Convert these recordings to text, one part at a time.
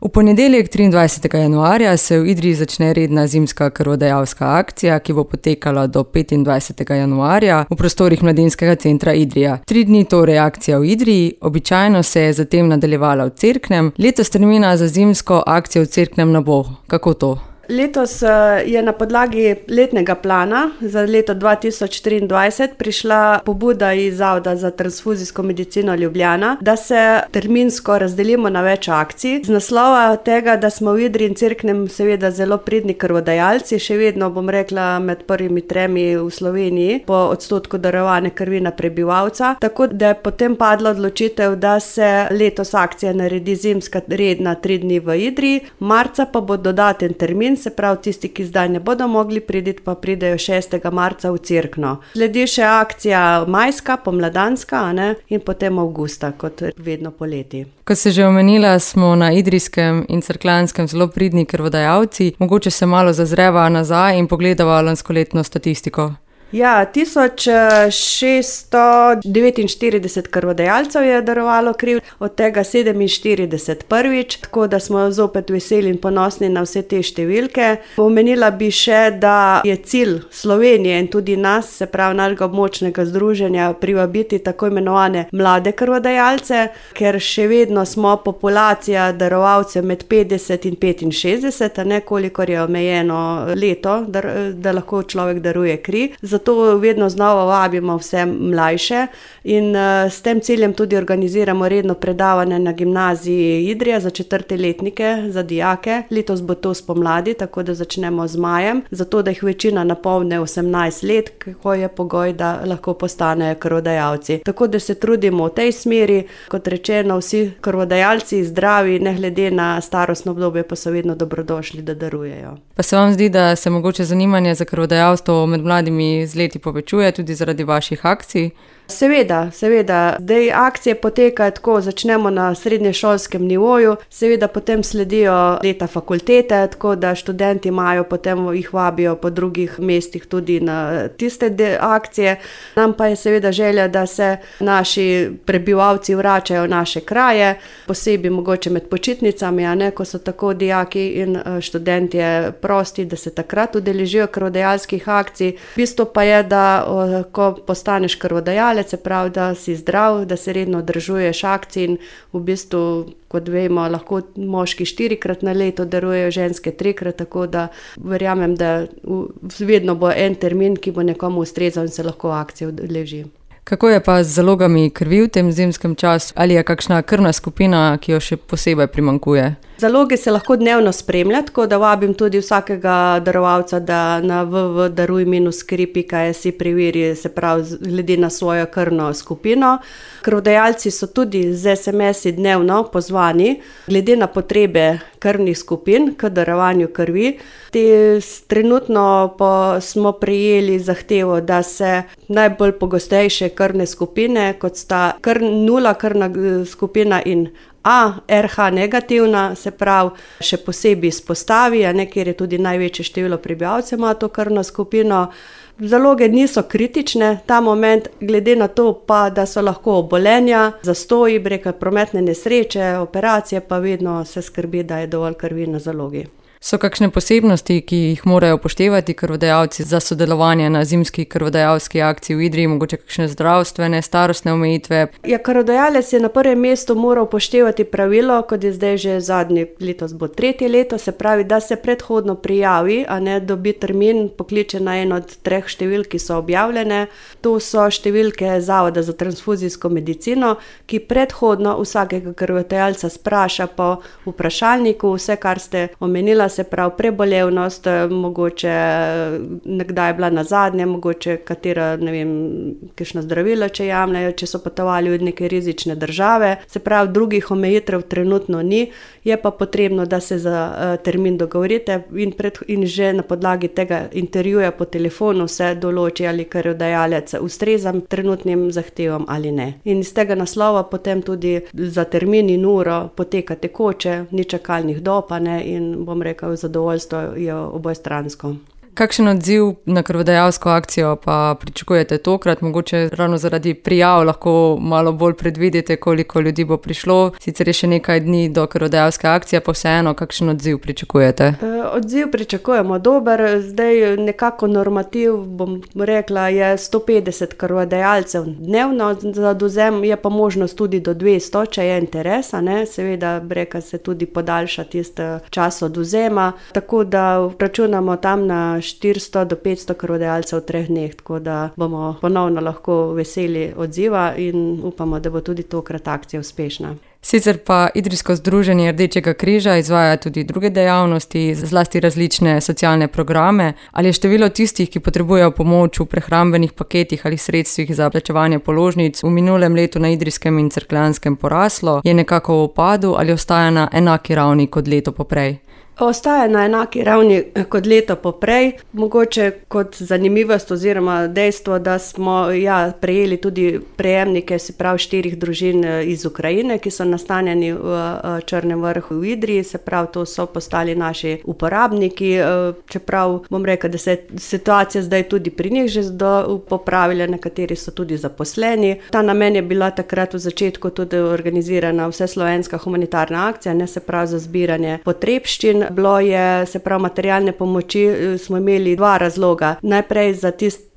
V ponedeljek 23. januarja se v Idriji začne redna zimska krvodajalska akcija, ki bo potekala do 25. januarja v prostorih Mladinskega centra Idrija. 3 dni torej akcija v Idriji, običajno se je zatem nadaljevala v Cerknem, letos termina za zimsko akcijo v Cerknem ne bo. Kako to? Letos je na podlagi letnega plana za leto 2023 prišla pobuda iz Zavoda za transfuzijsko medicino Ljubljana, da se terminsko razdelimo na več akcij. Z naslova tega, da smo v Idriji in Cerknem seveda zelo pridni krvodajalci, še vedno bom rekla med prvimi 3 v Sloveniji po odstotku darovane krvi na prebivalca, tako da je potem padla odločitev, da se letos akcija naredi zimska redna 3 dni v Idriji, marca pa bo dodaten termin, se pravi tisti, ki zdaj ne bodo mogli priti, pa pridejo 6. marca v Cerkno. Sledi še akcija majska, pomladanska, in potem avgusta, kot vedno poleti. Kot ste že omenila, smo na idrijskem in cerkljanskem zelo pridni krvodajalci. Mogoče se malo zazreva nazaj in pogledava lanskoletno statistiko. Ja, 1649 krvodajalcev je darovalo kri, od tega 47 prvič, tako da smo zopet veseli in ponosni na vse te številke. Omenila bi še, da je cilj Slovenije in tudi nas, se pravi našega območnega združenja, privabiti tako imenovane mlade krvodajalce, ker še vedno smo populacija darovalcev med 50 in 65, kolikor je omejeno leto, da lahko človek daruje kri. Zato vedno znova vabimo vse mlajše in s tem ciljem tudi organiziramo redno predavanje na gimnaziji Idrija za 4. letnike, za dijake. Letos bo to spomladi, tako da začnemo z majem, zato da jih večina napolne 18 let, ko je pogoj, da lahko postanejo krvodajalci. Tako da se trudimo v tej smeri, kot rečeno, vsi krvodajalci zdravi, ne glede na starostno obdobje, pa so vedno dobrodošli, da darujejo. Pa se vam zdi, da se mogoče zanimanje za krvodajalstvo med mladimi z leti povečuje tudi zaradi vaših akcij? Seveda. Zdaj akcije potekajo tako, začnemo na srednješolskem nivoju, seveda potem sledijo leta fakultete, tako da študenti imajo, potem jih vabijo po drugih mestih tudi na tiste akcije. Nam pa je seveda želja, da se naši prebivalci vračajo v naše kraje, posebej mogoče med počitnicami, ko so tako dijaki in študentje prosti, da se takrat udeležijo krvodajalskih akcij. Bistvo pa je, da ko postaneš krvodajalec, se pravi, da si zdrav, da se redno udeležuješ akcij in v bistvu, kot vemo, lahko moški 4-krat na leto darujejo, ženske 3-krat, tako da verjamem, da vedno bo en termin, ki bo nekomu ustrezal in se lahko akcije udeleži. Kako je pa z zalogami krvi v tem zimskem času? Ali je kakšna krvna skupina, ki jo še posebej primanjkuje? Zaloge se lahko dnevno spremlja, tako da vabim tudi vsakega darovalca, da na www.daruj-kri.si preveri, se pravi, glede na svojo krvno skupino. Krvodajalci so tudi z SMS-i dnevno pozvani, glede na potrebe krvnih skupin k darovanju krvi. Trenutno smo prejeli zahtevo, da se najbolj pogostejše krvne skupine, kot sta 0 krvna skupina in A, RH negativna, se pravi, še posebej izpostavi, kjer je tudi največje število prebivalcev ima to krvno skupino. Zaloge niso kritične, ta moment, glede na to pa, da so lahko obolenja, zastoji, prometne nesreče, operacije, pa vedno se skrbi, da je dovolj krvi na zalogi. So kakšne posebnosti, ki jih morajo upoštevati krvodajalci za sodelovanje na zimski krvodajalski akciji v Idriji, mogoče kakšne zdravstvene, starostne omejitve? Krvodajalec je na prvem mestu moral upoštevati pravilo, kot je zdaj že letos bo 3. leto, se pravi, da se predhodno prijavi, dobi termin, pokliče na eno od 3 številk, ki so objavljene. To so številke Zavoda za transfuzijsko medicino, ki predhodno vsakega krvodajalca spraša po vprašalniku, vse, kar ste omenila, se pravi prebolevnost, mogoče nekdaj je bila nazadnje, mogoče katera, kakšna zdravila, če jemljajo, če so potovali v neke rizične države, se pravi drugih omejitev trenutno ni, je pa potrebno, da se za termin dogovorite in že na podlagi tega intervjuja po telefonu se določi, ali krvodajalec ustreza trenutnim zahtevam ali ne. In iz tega naslova potem tudi za termin in uro poteka tekoče, ni čakalnih dob, in bom rekel, zadovoljstvo je obojestransko. Kakšen odziv na krvodajalsko akcijo pa pričakujete tokrat? Mogoče ravno zaradi prijav lahko malo bolj predvidite, koliko ljudi bo prišlo. Sicer je še nekaj dni do krvodajalske akcije, pa vseeno, kakšen odziv pričakujete? Odziv pričakujemo dober. Zdaj nekako normativ, bom rekla, je 150 krvodajalcev dnevno za odvzem, je pa možnost tudi do 200, če je interesa, ne. Seveda breka se tudi podaljša tisti čas odvzema, tako da računamo tam na 400 do 500 krvodajalcev v 3 dneh, tako da bomo ponovno lahko veseli odziva in upamo, da bo tudi tokrat akcija uspešna. Sicer pa Idrijsko združenje Rdečega križa izvaja tudi druge dejavnosti, zlasti različne socialne programe. Ali je število tistih, ki potrebujejo pomoč v prehrambenih paketih ali sredstvih za plačevanje položnic v minulem letu na Idrijskem in Cerkljanskem poraslo, je nekako v upadu ali ostaja na enaki ravni kot leto poprej? Ostaja na enaki ravni kot leto poprej. Mogoče kot zanimivost oziroma dejstvo, da smo prejeli tudi prejemnike, se pravi 4 družin iz Ukrajine, ki so nastanjeni v Črnem Vrhu v Idriji, se pravi, to so postali naši uporabniki, čeprav bom rekla, da se je situacija zdaj tudi pri njih že popravila, nekateri so tudi zaposleni. Ta namen je bila takrat v začetku tudi organizirana vseslovenska humanitarna akcija, ne, se pravi za zbiranje potrebščin. Bilo je, se pravi, materialne pomoči, smo imeli 2 razloga. Najprej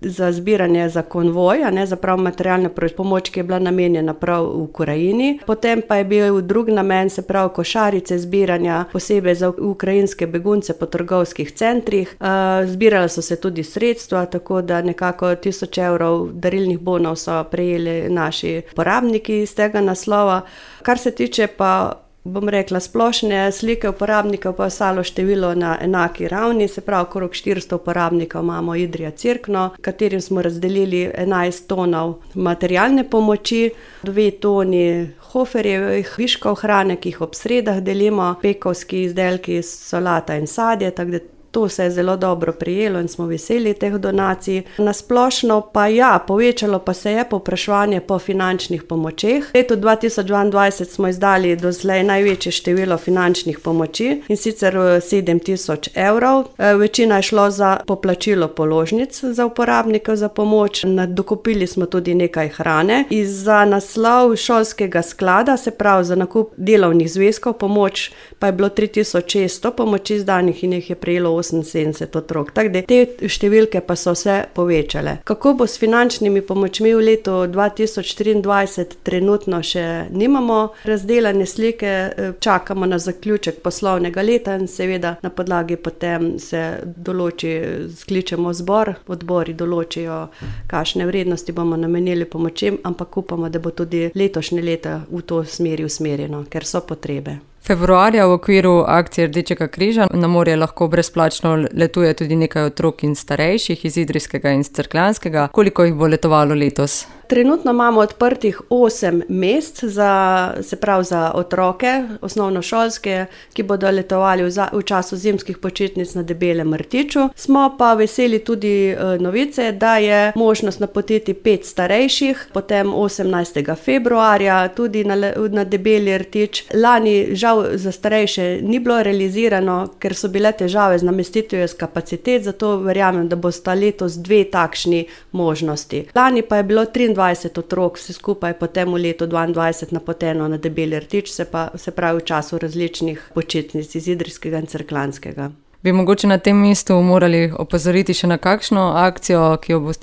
za zbiranje za konvoj, ne, za prav materialno pomoč, ki je bila namenjena prav v Ukrajini. Potem pa je bil drug namen, se pravi košarice zbiranja posebej za ukrajinske begunce po trgovskih centrih. Zbirala so se tudi sredstva, tako da nekako 1000 evrov darilnih bonov so prejeli naši porabniki iz tega naslova. Kar se tiče pa, bom rekla, splošne slike uporabnikov, pa je ostalo število na enaki ravni, se pravi, okrog 400 uporabnikov imamo Idrija Cerkno, katerim smo razdelili 11 tonov materialne pomoči, 2 toni hoferjevih viškov hrane, ki jih ob sredah delimo, pekovski izdelki, solata in sadje, tako da to se je zelo dobro prijelo in smo veseli teh donacij. Na splošno pa povečalo pa se je povpraševanje po finančnih pomočeh. V letu 2022 smo izdali doslej največje število finančnih pomoči, in sicer 7000 evrov. Večina je šlo za poplačilo položnic za uporabnike za pomoč. Dokupili smo tudi nekaj hrane. Za naslov šolskega sklada, se pravi za nakup delovnih zvezkov, pomoč pa je bilo 3600 pomoči izdanih in jih je prejelo 78 otrok. Tako da te številke pa so se povečale. Kako bo s finančnimi pomočmi v letu 2023, trenutno še nimamo razdelane slike, čakamo na zaključek poslovnega leta in seveda na podlagi potem se določi, skličemo zbor, odbori določijo, kakšne vrednosti bomo namenili pomočem, ampak upamo, da bo tudi letošnje leto v to smeri usmerjeno, ker so potrebe. Februarja v okviru akcije Rdečega križa na morje lahko brezplačno letuje tudi nekaj otrok in starejših iz Idrijskega in Cerkljanskega. Koliko jih bo letovalo letos? Trenutno imamo odprtih 8 mest se pravi za otroke, osnovnošolske, ki bodo letovali v času zimskih počitnic na Debelem rtiču. Smo pa veseli tudi novice, da je možnost napotiti 5 starejših, potem 18. februarja tudi na Debeli rtič. Lani žal za starejše ni bilo realizirano, ker so bile težave z namestitvijo kapacitet, zato verjamem, da bosta letos 2 takšni možnosti. Lani pa je bilo 23 otrok vse skupaj potem v letu 2022 napoteno na Debeli rtič, se pravi v času različnih počitnic iz Idrijskega in Cerkljanskega. Bi mogoče na tem mestu morali opozoriti še na kakšno akcijo,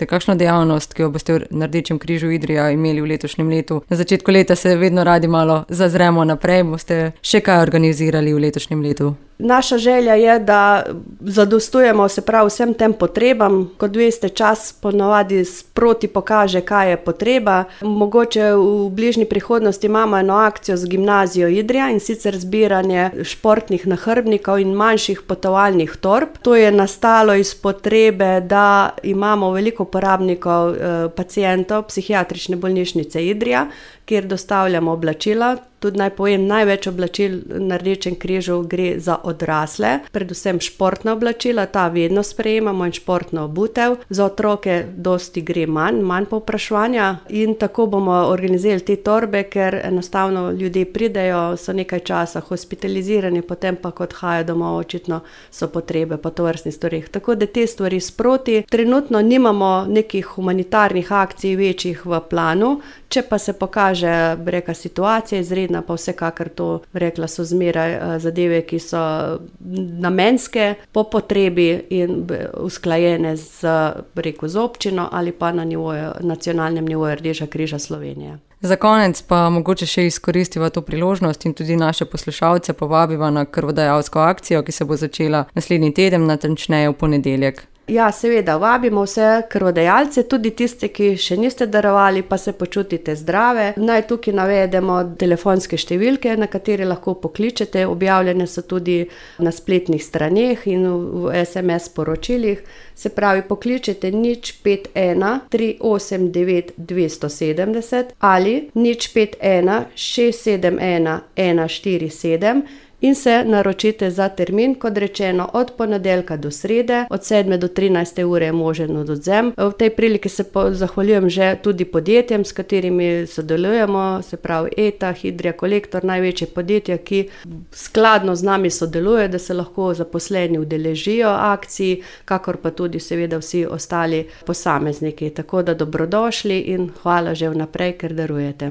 kakšno dejavnost, ki jo boste na Rdečem križu Idrija imeli v letošnjem letu? Na začetku leta se vedno radi malo zazremo naprej, boste še kaj organizirali v letošnjem letu? Naša želja je, da zadostujemo, se pravi, vsem tem potrebam. Kot veste, čas ponavadi sproti pokaže, kaj je potreba. Mogoče v bližnji prihodnosti imamo eno akcijo z Gimnazijo Idrija, in sicer zbiranje športnih nahrbtnikov in manjših potovalnih torb. To je nastalo iz potrebe, da imamo veliko uporabnikov, pacientov Psihiatrične bolnišnice Idrija, kjer dostavljamo oblačila Tudi naj povem, največ oblačil na Rdečem križu gre za odrasle, predvsem športna oblačila, ta vedno sprejemamo in športno obutev. Za otroke dosti gre manj povpraševanja in tako bomo organizirali te torbe, ker enostavno ljudje pridejo, so nekaj časa hospitalizirani, potem pa ko odhajajo domov, očitno so potrebe po tovrstnih stvareh. Tako da te stvari sproti. Trenutno nimamo nekih humanitarnih akcij večjih v planu, če pa se pokaže, situacija izredna, pa vsekakor to, so zmeraj zadeve, ki so namenske, po potrebi in usklajene z občino ali pa na nacionalnem nivoju Rdečega križa Slovenije. Za konec pa mogoče še izkoristiva to priložnost in tudi naše poslušalce povabiva na krvodajalsko akcijo, ki se bo začela naslednji teden, natančneje v ponedeljek. Ja, seveda, vabimo vse krvodajalce, tudi tiste, ki še niste darovali, pa se počutite zdrave. Naj tukaj navedemo telefonske številke, na katere lahko pokličete, objavljene so tudi na spletnih straneh in v SMS sporočilih. Se pravi, pokličete 051 389 270 ali 051 671 147 in se naročite za termin, kot rečeno, od ponedeljka do srede, od 7 do 13 ure je možen odvzem. V tej priliki se zahvaljujem že tudi podjetjem, s katerimi sodelujemo, se pravi ETA, Hidrija, Kolektor, največje podjetja, ki skladno z nami sodelujejo, da se lahko zaposleni udeležijo akcij, kakor pa tudi seveda vsi ostali posamezniki. Tako da dobrodošli in hvala že vnaprej, ker darujete.